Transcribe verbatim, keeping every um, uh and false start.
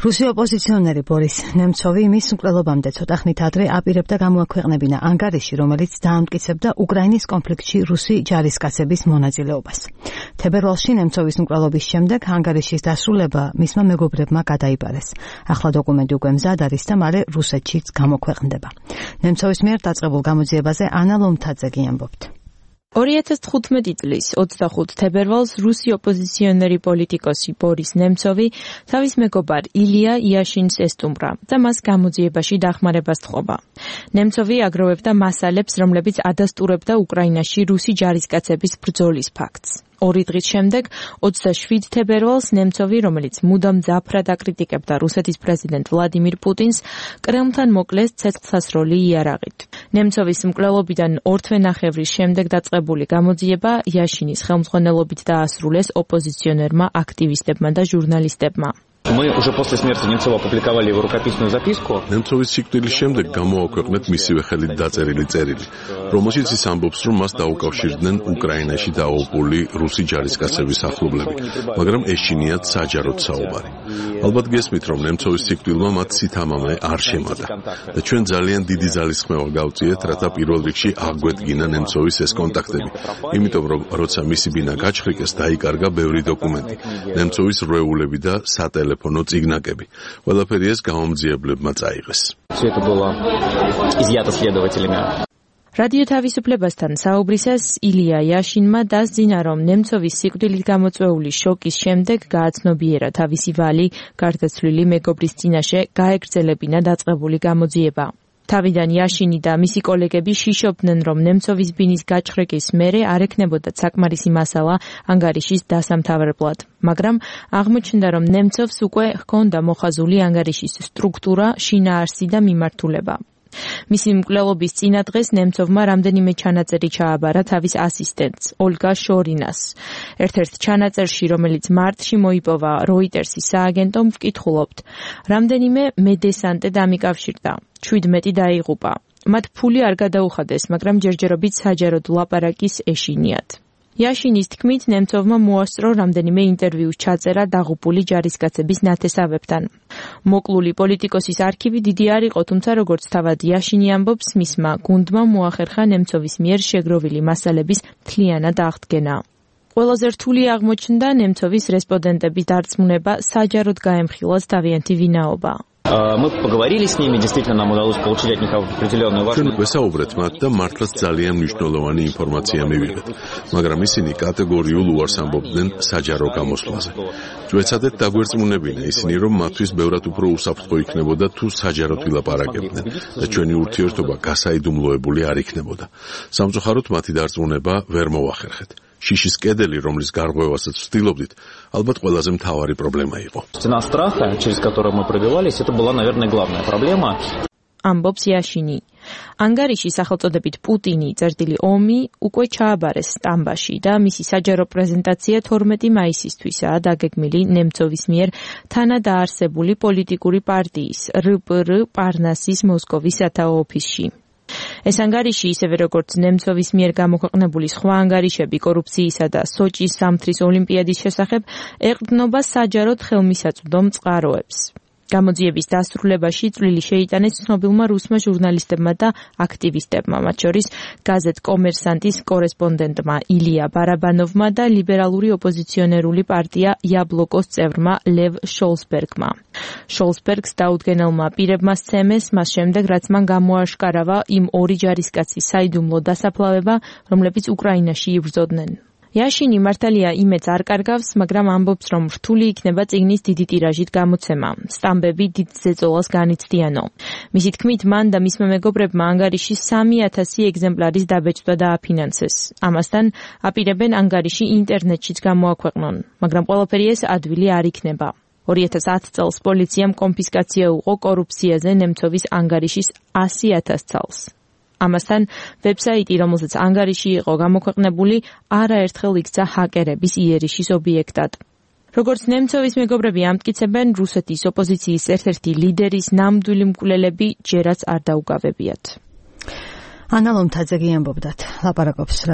რუსი ოპოზიციონერი ბორის ნემცოვი მის მკვლელობამდე ცოტა ხნით ადრე აპირებდა გამოაქვეყნებინა ანგარიში, რომელიც დაამტკიცებდა უკრაინის კონფლიქტში რუსი ჯარისკაცების მონაწილეობას. თებერვალში ნემცოვის მკვლელობის შემდეგ ანგარიშის დასრულება მისმა მეგობრებმა გადაიბარეს. ახლა დოკუმენტი უკვე მზად არის და მალე რუსეთშიც გამოქვეყნდება. ნემცოვის მიერ დაწყებულ გამოძიებაზე ანა ლომთაძე ამბობთ. ორი ათას თხუთმეტი წლის ოცდახუთი თებერვალს რუსი ოპოზიციონერი პოლიტიკოსი ბორის ნემცოვი თავის მეგობარ ილია იაშინს ესტუმრა და მას გამოძიებაში დახმარებას თხოვა. ნემცოვი აგროვებდა მასალებს, რომლებიც ადასტურებდა უკრაინაში რუსი ჯარისკაცების ბრძოლის ფაქტს. ორი დღის შემდეგ, ოცდაშვიდ თებერვალს ნემცოვი, რომელიც მუდამ ძაფრად აკრიტიკებდა რუსეთის პრეზიდენტ ვლადიმირ პუტინს, კრემლთან მოკლეს ცეცხლსასროლი იარაღით. ნემცოვის მკვლელობიდან ორ თვენახევრის შემდეგ დაწყებული გამოძიება იაშინის ხელმძღვანელობით დაასრულეს ოპოზიციონერმა, აქტივისტებმა და ჟურნალისტებმა. Мы уже после смерти Немцова опубликовали его рукописную записку. ნემცოვის სიკვდილის შემდეგ გამოაქვეყნეთ მისივე ხელით დაწერილი წერილი, რომელშიც ის ამბობს, რომ მას დაუკავშირდნენ უკრაინაში დაუყოლებული რუსი ჯარისკაცების ახლობლები, მაგრამ ეშინიათ საჯაროდ საუბარი. ალბათ გესმით, რომ ნემცოვის სიკვდილმა მათ სითამამე არ შემატა და ჩვენ ძალიან დიდი ძალისხმევა გავწიეთ, რათა პირველ რიგში აგვედგინა ნემცოვის ეს კონტაქტები. იმიტომ რომ როცა მისი ბინა გაჩხრიკეს, დაიკარგა ბევრი დოკუმენტი, ნემცოვის რვეულები და სატელეფონო телефоно цигнакები. ყველაფერი ეს გამომძიებლებმა წაიღეს. Все это было изъято следователями. რადიო თავისუფლებასთან საუბრისას ილია იაშინმა დასძინა, რომ ნემცოვის სიკვდილით გამოწვეული შოკის შემდეგ გააცნობიერა თავისი ვალი გარდაცვლილი მეგობრის წინაშე გაეგრძელებინა დაწყებული გამოძიება. თავიდან იაშინი და მისი კოლეგები შიშობდნენ, რომ ნემცოვის ბინის გაჩხრიკის მერე არ ექნებოდა საკმარისი მასალა ანგარიშის დასამთავრებლად, მაგრამ აღმოჩნდა, რომ ნემცოვს უკვე ჰქონდა მოხაზული ანგარიშის სტრუქტურა, შინაარსი და მიმართულება. მისი მკვლელობის წინა დღეს ნემცოვმა რამდენიმე ჩანაწერი ჩააბარა თავის ასისტენტს, ოლგა შორინას. ერთ-ერთ ჩანაწერში, რომელიც მარტში მოიპოვა როიტერსის სააგენტომ, ვკითხულობთ, რამდენიმე მედესანტე დამიკავშირდა, ჩვიდმეტი დაიღუპა. მათ ფული არ გადაუხადეს, მაგრამ ჯერჯერობით საჯაროდ ლაპარაკის ეშინიათ. იაშინის თქმით, ნემცოვმა მოასწრო რამდენიმე ინტერვიუს ჩაწერა დაღუპული ჯარისკაცების ნათესავებთან. მოკლული პოლიტიკოსის არქივი დიდი არ იყო, თუმცა როგორც თავად იაშინი ამბობს, მისმა გუნდმა მოახერხა ნემცოვის მიერ შეგროვილი მასალების მთლიანად აღდგენა. ყველაზე რთული აღმოჩნდა ნემცოვის რესპონდენტების დარწმუნება, საჯაროდ გაემხილათ თავიანთი ვინაობა. Мы поговорили с ними, действительно нам удалось получить от них определенную важную. ჩვენ ვესაუბრეთ მათ და მართლაც ძალიან მნიშვნელოვანი ინფორმაცია მივიღეთ, მაგრამ ისინი კატეგორიულ უარს ამბობდნენ საჯარო გამოსვლაზე. ვეცადეთ დაგვერწმუნებინა ისინი, რომ მათთვის ბევრად უფრო უსაფრთხო იქნებოდა თუ საჯაროდ ვილაპარაკებდნენ და ჩვენი ურთიერთობა გასაიდუმლოებული არ იქნებოდა. სამწუხაროდ მათი დარწმუნება ვერ მოახერხეთ. შიშის კედელი, რომლის გარღვევასაც ვცდილობდით, ალბათ ყველაზე მთავარი პრობლემა იყო. Стена страха, через которую мы пробивались, это была, наверное, главная проблема. ამბობს იაშინი. ანგარიში სახელწოდებით პუტინი წერტილი ომი უკვე ჩააბარეს სტამბაში და მისი საჯარო პრეზენტაცია თორმეტი მაისისთვისაა დაგეგმილი ნემცოვის მიერ თანადაარსებული პოლიტიკური პარტიის რ პ რ პარნასის მოსკოვის სათაო ოფისში. ეს ანგარიში, ისევე როგორც ნემცოვის მიერ გამოქვეყნებული სხვა ანგარიშები კორუფციისა და სოჭის სამთრის ოლიმპიადის შესახებ, ეყრდნობა საჯაროდ ხელმისაწვდომ წყაროებს. გამოძიების დასრულებაში წვლილი შეიტანეს ცნობილმა რუსმა ჟურნალისტებმა და აქტივისტებმა, მათ შორის გაზეთ კომერსანტის კორესპონდენტმა ილია ბარაბანოვმა და ლიბერალური ოპოზიციონერული პარტია იაბლოკოს წევრმა ლევ შოლსბერგმა. შოლსბერგს დაუდგენელმა პირებმა სცემეს მას შემდეგ, რაც მან გამოაშკარავა იმ ორი ჯარისკაცის საიდუმლო დასაფლავება, რომლებიც უკრაინაში იბრძოდნენ. იაშინი მართალია იმედს არ კარგავს, მაგრამ ამბობს, რომ რთული იქნება წიგნის დიდი ტირაჟით გამოცემა. სტამბები დიდ ზეწოლას განიცდიანო. მისი თქმით, მან და მისმა მეგობრებმა ანგარიში სამი ათასი ეგზემპლარის დაბეჭდა დააფინანსეს. ამასთან აპირებენ ანგარიში ინტერნეტშიც გამოაქვეყნონ, მაგრამ ყველაფერი ეს ადვილი არ იქნება. ორი ათას ათი წელს პოლიციამ კონფისკაცია უყო კორუფციაზე ნემცოვის ანგარიშის ასი ათას წელს. ამასთან ვებსაიტი, რომელზეც ანგარიში იყო გამოქვეყნებული, არაერთხელ იქცა ჰაკერების იერიშის ობიექტად. როგორც ნემცოვის მეგობრები ამტკიცებენ, რუსეთის ოპოზიციის ერთ-ერთი ლიდერის ნამდვილი მკვლელები ჯერაც არ დაუკავებიათ. ანა ლომთაძე ამბობდათ, ლაპარაკობს